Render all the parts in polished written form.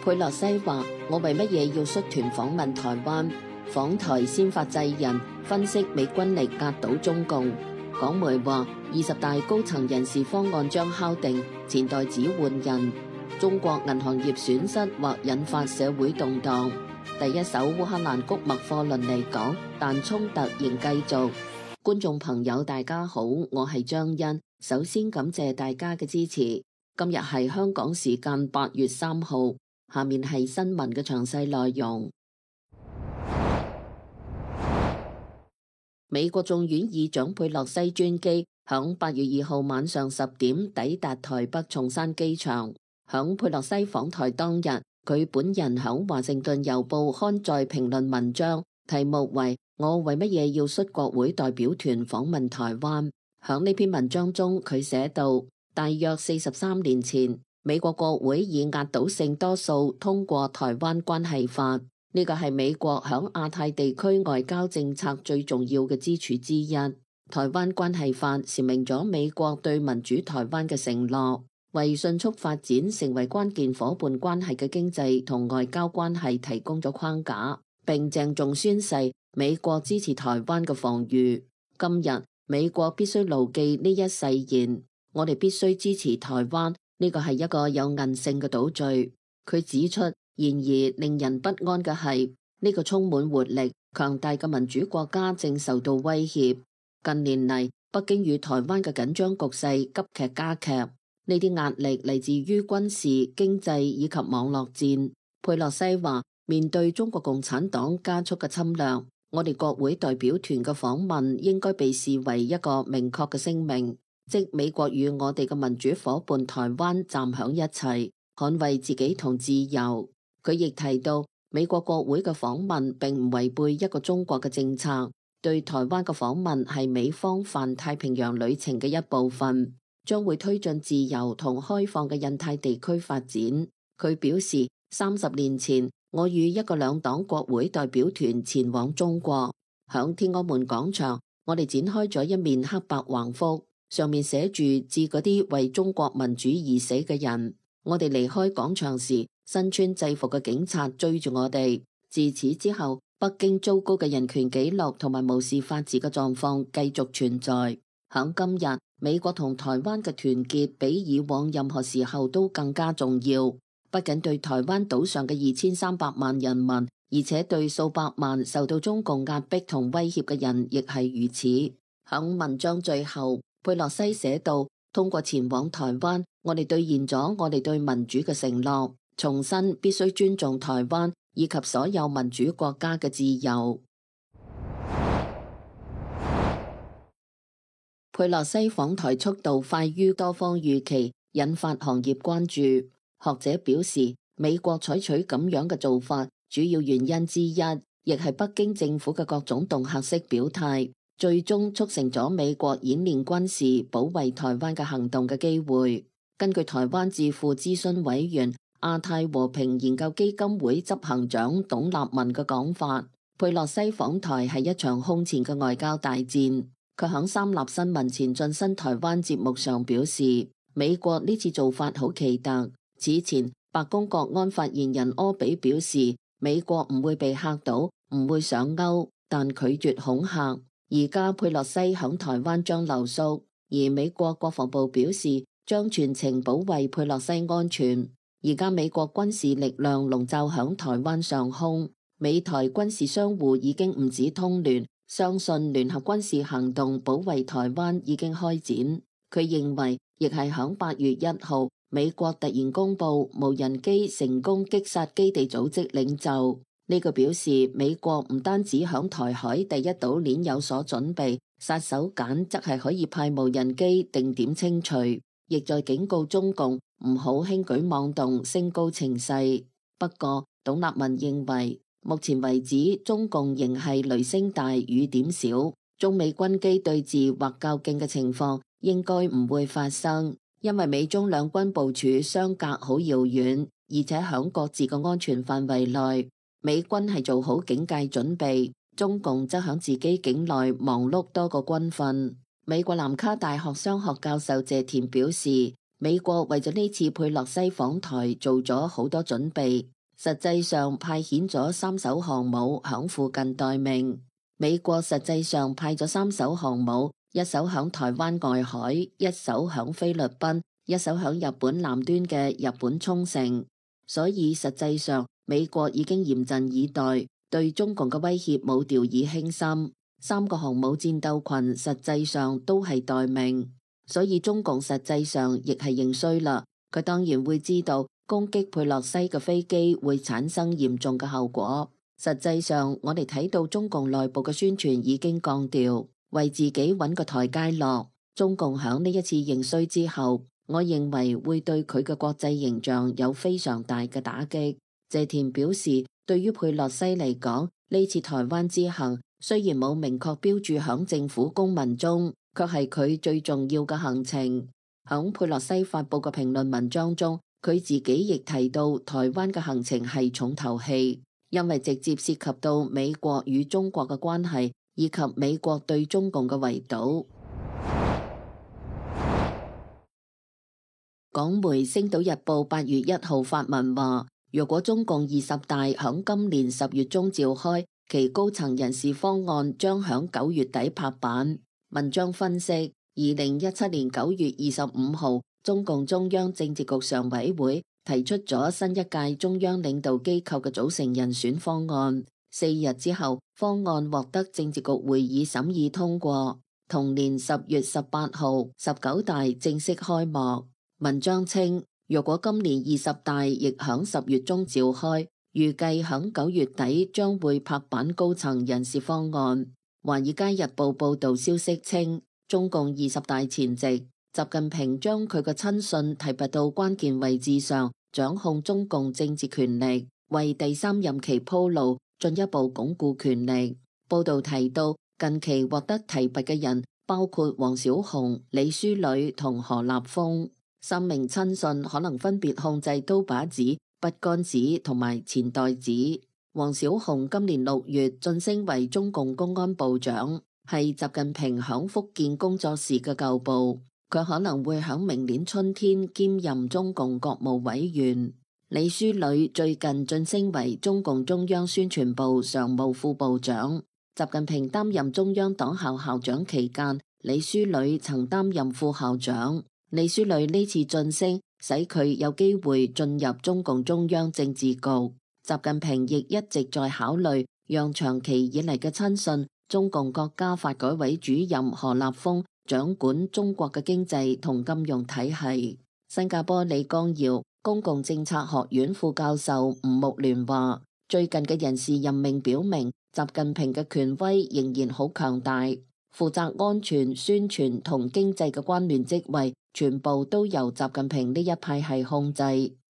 佩洛西話：我為乜嘢要率團訪問台灣？訪台先發制人，分析美軍力壓倒中共。港媒話20大高層人事方案將敲定，前代指換人。中國銀行業損失或引發社會動盪。第一艘烏克蘭穀物貨輪離港，但衝突仍繼續。觀眾朋友大家好，我係張欣。首先感謝大家嘅支持。今日係香港時間8月3號，下面係新聞嘅詳細內容。美國眾院議長佩洛西專機響8月2號晚上10點抵達台北松山機場。響佩洛西訪台當日，佢本人響華盛頓郵報刊載評論文章，題目為我為乜嘢要率國會代表團訪問台灣。響呢篇文章中，佢寫道：大約43年前，美國國會以壓倒性多數通過台灣關係法，呢個係美國響亞太地區外交政策最重要嘅支柱之一。台灣關係法闡明咗美國對民主台灣嘅承諾，為迅速發展成為關鍵夥伴關係嘅經濟同外交關係提供咗框架，並鄭重宣誓美國支持台灣嘅防禦。今日美國必須牢記呢一誓言，我哋必須支持台灣，呢個係一個有韌性嘅島嶼。佢指出，然而令人不安嘅係，呢個充滿活力、強大嘅民主國家正受到威脅。近年嚟，北京與台灣嘅緊張局勢急劇加劇，呢啲壓力嚟自於軍事、經濟以及網絡戰。佩洛西話：面對中國共產黨加速嘅侵略，我哋國會代表團嘅訪問應該被視為一個明確嘅聲明，即美國與我哋嘅民主夥伴台灣站響一齊，捍衛自己同自由。佢亦提到，美國國會嘅訪問並唔違背一個中國嘅政策，對台灣嘅訪問係美方泛太平洋旅程嘅一部分，將會推進自由同開放嘅印太地區發展。佢表示，30年前，我與一個兩黨國會代表團前往中國，響天安門廣場，我哋展開咗一面黑白橫幅，上面寫住致嗰啲為中國民主而死嘅人。我哋離開廣場時，身穿制服嘅警察追住我哋。自此之後，北京糟糕嘅人權紀錄同埋無視法治嘅狀況繼續存在。響今日，美國同台灣嘅團結比以往任何時候都更加重要。不僅對台灣島上嘅2300萬人民，而且對數百萬受到中共壓迫同威脅嘅人亦係如此。響文章最後，佩洛西寫道：通過前往台灣，我哋兌現咗我哋對民主嘅承諾，重申必須尊重台灣以及所有民主國家嘅自由。佩洛西訪台速度快於多方預期，引發行業關注。學者表示，美國採取咁樣嘅做法，主要原因之一，亦係北京政府嘅各種恫嚇式表態，最終促成咗美國演練軍事保衛台灣嘅行動嘅機會。根據台灣智庫諮詢委員、亞太和平研究基金會執行長董立文嘅講法，佩洛西訪台係一場空前嘅外交大戰。佢響三立新聞前進新台灣節目上表示，美國呢次做法好奇特。此前，白宮國安發言人柯比表示，美國唔會被嚇到，唔會上鈎，但拒絕恐嚇。而家佩洛西響台灣將留宿，而美國國防部表示將全程保衛佩洛西安全。而家美國軍事力量籠罩響台灣上空，美台軍事相互已經唔止通聯，相信聯合軍事行動保衛台灣已經開展。佢認為，亦係響8月1號。美國突然公布無人機成功擊殺基地組織領袖，呢個表示美國唔單止響台海第一島鏈有所準備，殺手鐧則係可以派無人機定點清除，亦在警告中共唔好輕舉妄動，升高情勢。不過，董立文認為，目前為止中共仍係雷聲大雨點小，中美軍機對峙或較勁嘅情況應該唔會發生。因為美中兩軍部署相隔好遙遠，而且響各自嘅安全範圍內，美軍係做好警戒準備，中共則響自己境內忙碌多個軍訓。美國南卡大學商學教授謝田表示，美國為咗呢次佩洛西訪台做咗好多準備，實際上派遣咗3艘航母響附近待命。美國實際上派咗3艘航母，一艘響台灣外海，一艘響菲律賓，一艘響日本南端嘅日本沖繩。所以實際上美國已經嚴陣以待，對中共嘅威脅冇掉以輕心。3個航母戰鬥群實際上都係待命，所以中共實際上亦係認衰啦。佢當然會知道攻擊佩洛西嘅飛機會產生嚴重嘅後果。實際上我哋睇到中共內部嘅宣傳已經降調，為自己揾個台階落。中共響呢一次認衰之後，我認為會對佢嘅國際形象有非常大嘅打擊。謝田表示，對於佩洛西嚟講，呢次台灣之行雖然冇明確標注響政府公文中，卻係佢最重要嘅行程。響佩洛西發佈嘅評論文章中，佢自己亦提到台灣嘅行程係重頭戲，因為直接涉及到美國與中國嘅關係，以及美國對中共嘅圍堵。港媒《星島日報》8月1號發文話，如果中共20大響今年10月中召開，其高層人事方案將響9月底拍板。文章分析，2017年9月25號，中共中央政治局常委會提出咗新一屆中央領導機構嘅組成人選方案。4日之後，方案獲得政治局會議審議通過。同年10月18號，19大正式開幕。文章稱，若果今年20大亦響10月中召開，預計響9月底將會拍板高層人事方案。華爾街日報報道消息稱，中共20大前夕，習近平將佢嘅親信提拔到關鍵位置上，掌控中共政治權力，為第3任期鋪路，進一步鞏固權力。報道提到，近期獲得提拔嘅人包括王小洪、李書磊同何立峰。3名親信可能分別控制刀把子、筆桿子同埋錢袋子。王小洪今年6月晉升為中共公安部長，係習近平響福建工作時嘅舊部。佢可能會響明年春天兼任中共國務委員。李書磊最近晉升為中共中央宣傳部常務副部長。習近平擔任中央黨校校長期間，李書磊曾擔任副校長。李書磊呢次晉升，使佢有機會進入中共中央政治局。習近平亦一直在考慮讓長期以嚟嘅親信中共國家發改委主任何立峰掌管中國嘅經濟同金融體系。新加坡李光耀公共政策學院副教授吳木聯話，最近嘅人事任命表明，習近平嘅權威仍然好強大，負責安全、宣傳同經濟嘅關聯職位全部都由習近平呢一派系控制。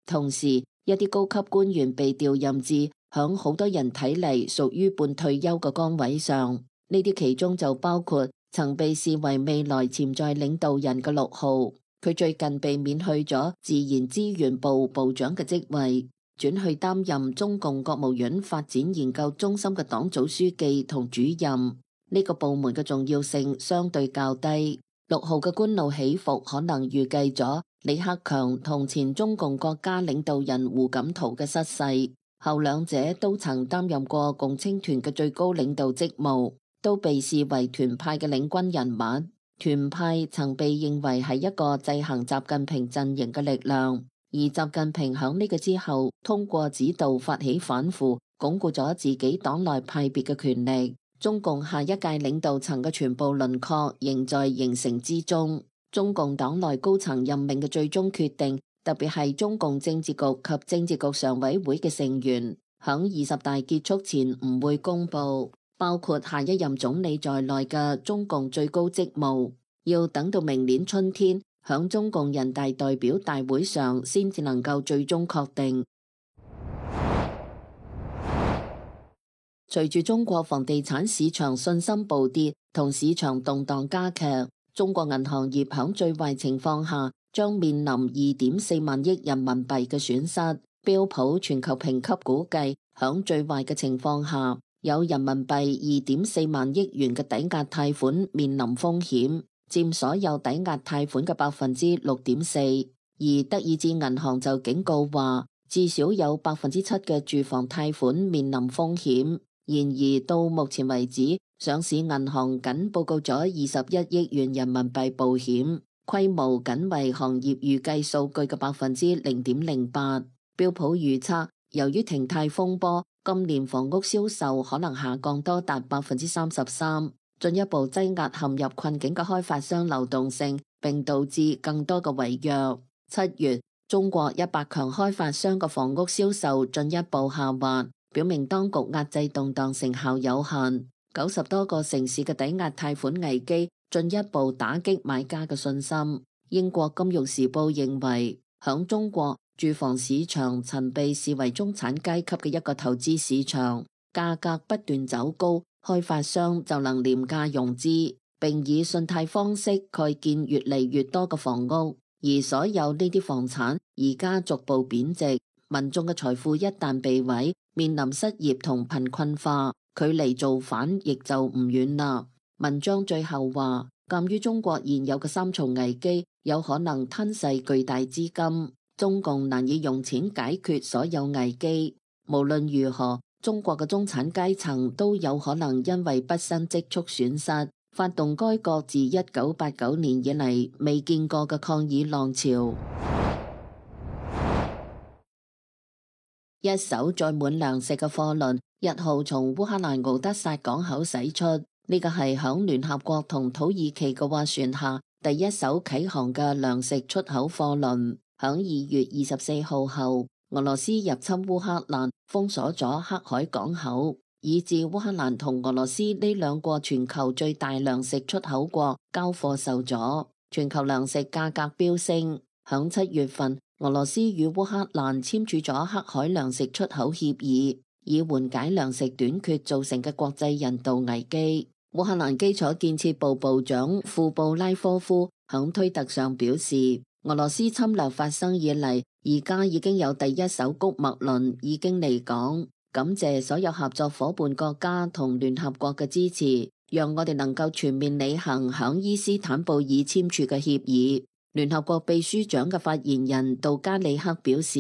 同時，一啲高級官員被調任至響好多人睇嚟屬於半退休嘅崗位上，呢啲其中就包括曾被視為未來潛在領導人嘅陸浩，佢最近被免去咗自然資源部部長嘅職位，轉去擔任中共國務院發展研究中心嘅黨組書記同主任。呢個部門嘅重要性相對較低。陸浩嘅官路起伏可能預計咗李克強同前中共國家領導人胡錦濤嘅失勢，後兩者都曾擔任過共青團嘅最高領導職務，都被視為團派嘅領軍人物。團派曾被認為係一個制衡習近平陣營嘅力量，而習近平響呢個之後通過指導發起反腐，鞏固咗自己黨內派別嘅權力。中共下一屆領導層嘅全部輪廓仍在形成之中。中共黨內高層任命嘅最終決定，特別係中共政治局及政治局常委會嘅成員，響20大結束前唔會公布，包括下一任總理在內嘅中共最高職務，要等到明年春天響中共人大代表大會上先至能夠最終確定。隨住中國房地產市場信心暴跌同市場動盪加劇，中國銀行業響最壞情況下將面臨2.4萬億人民幣嘅損失。標普全球評級估計，響最壞嘅情況下，有人民幣2.4萬億元嘅抵押貸款面臨風險，佔所有抵押貸款嘅6.4%。而德意志銀行就警告話，至少有7%嘅住房貸款面臨風險。然而到目前為止，上市銀行僅報告咗21億元人民幣保險，規模僅為行業預計數據嘅0.08%。標普預測，由於停貸風波，今年房屋銷售可能下降多達33%，進一步擠壓陷入困境嘅開發商流動性，並導致更多嘅違約。7月，中國100強開發商嘅房屋銷售進一步下滑，表明當局壓制動盪成效有限。90多個城市嘅抵押貸款危機進一步打擊買家嘅信心。英國金融時報認為，響中國，住房市場曾被視為中產階級嘅一個投資市場，價格不斷走高，開發商就能廉價融資，並以信貸方式蓋建越嚟越多嘅房屋。而所有呢啲房產而家逐步貶值，民眾嘅財富一旦被毀，面臨失業同貧困化，距離造反亦就唔遠啦。文章最後話，鑒於中國現有嘅3重危機有可能吞噬巨大資金，中共難以用錢解決所有危機。無論如何，中國嘅中產階層都有可能因為畢生積蓄損失，發動該國自1989年以嚟未見過嘅抗議浪潮。一艘載滿糧食嘅貨輪1號從烏克蘭敖德薩港口駛出，呢個係響聯合國同土耳其嘅斡旋下第一艘啟航嘅糧食出口貨輪。響2月24號後，俄羅斯入侵烏克蘭，封鎖咗黑海港口，以致烏克蘭同俄羅斯呢兩個全球最大糧食出口國交貨受阻，全球糧食價格飆升。響7月份，俄羅斯與烏克蘭簽署咗黑海糧食出口協議，以緩解糧食短缺造成嘅國際人道危機。烏克蘭基礎建設部部長庫布拉科夫響推特上表示，俄羅斯侵略發生以嚟，而家已經有第一艘穀物輪已經離港，感謝所有合作夥伴國家同聯合國嘅支持，讓我哋能夠全面履行響伊斯坦布爾簽署嘅協議。聯合國秘書長嘅發言人杜加里克表示，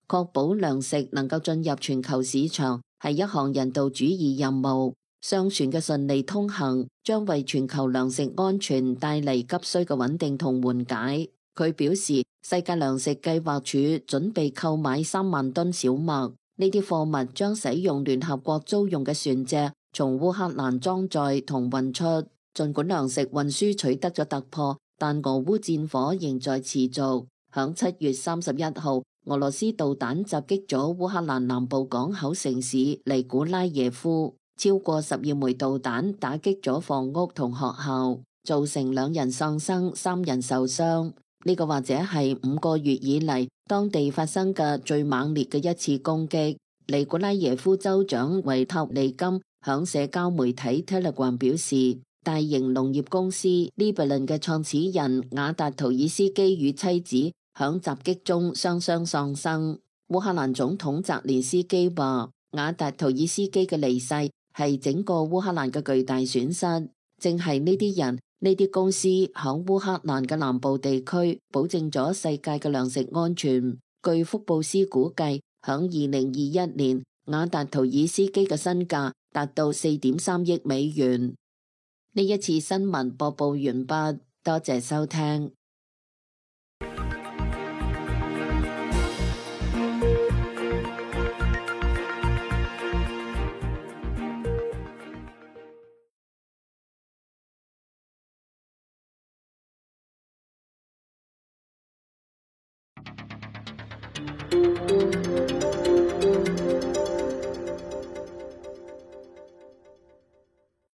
確保糧食能夠進入全球市場係一項人道主義任務。商船嘅順利通行將為全球糧食安全帶嚟急需嘅穩定同緩解。佢表示，世界糧食計劃署準備購買3萬噸小麥，呢啲貨物將使用聯合國租用嘅船隻從烏克蘭裝載同運出。儘管糧食運輸取得咗突破，但俄烏戰火仍在持續。響7月31號，俄羅斯導彈襲擊咗烏克蘭南部港口城市尼古拉耶夫，超過12枚導彈打擊咗房屋同學校，造成2人喪生、3人受傷。呢個或者係5個月以嚟當地發生嘅最猛烈嘅一次攻擊。尼古拉耶夫州長維塔利金響社交媒體 Telegram 表示，大型農業公司 Liberland 嘅創始人瓦達圖爾斯基與妻子響襲擊中雙雙喪生。烏克蘭總統澤連斯基話，瓦達圖爾斯基嘅離世係整個烏克蘭嘅巨大損失，正係呢啲人、呢啲公司響烏克蘭嘅南部地區保證咗世界嘅糧食安全。據福布斯估計，響2021年，瓦達圖爾斯基嘅身價達到4.3億美元。呢一次新聞播報完畢，多謝收聽。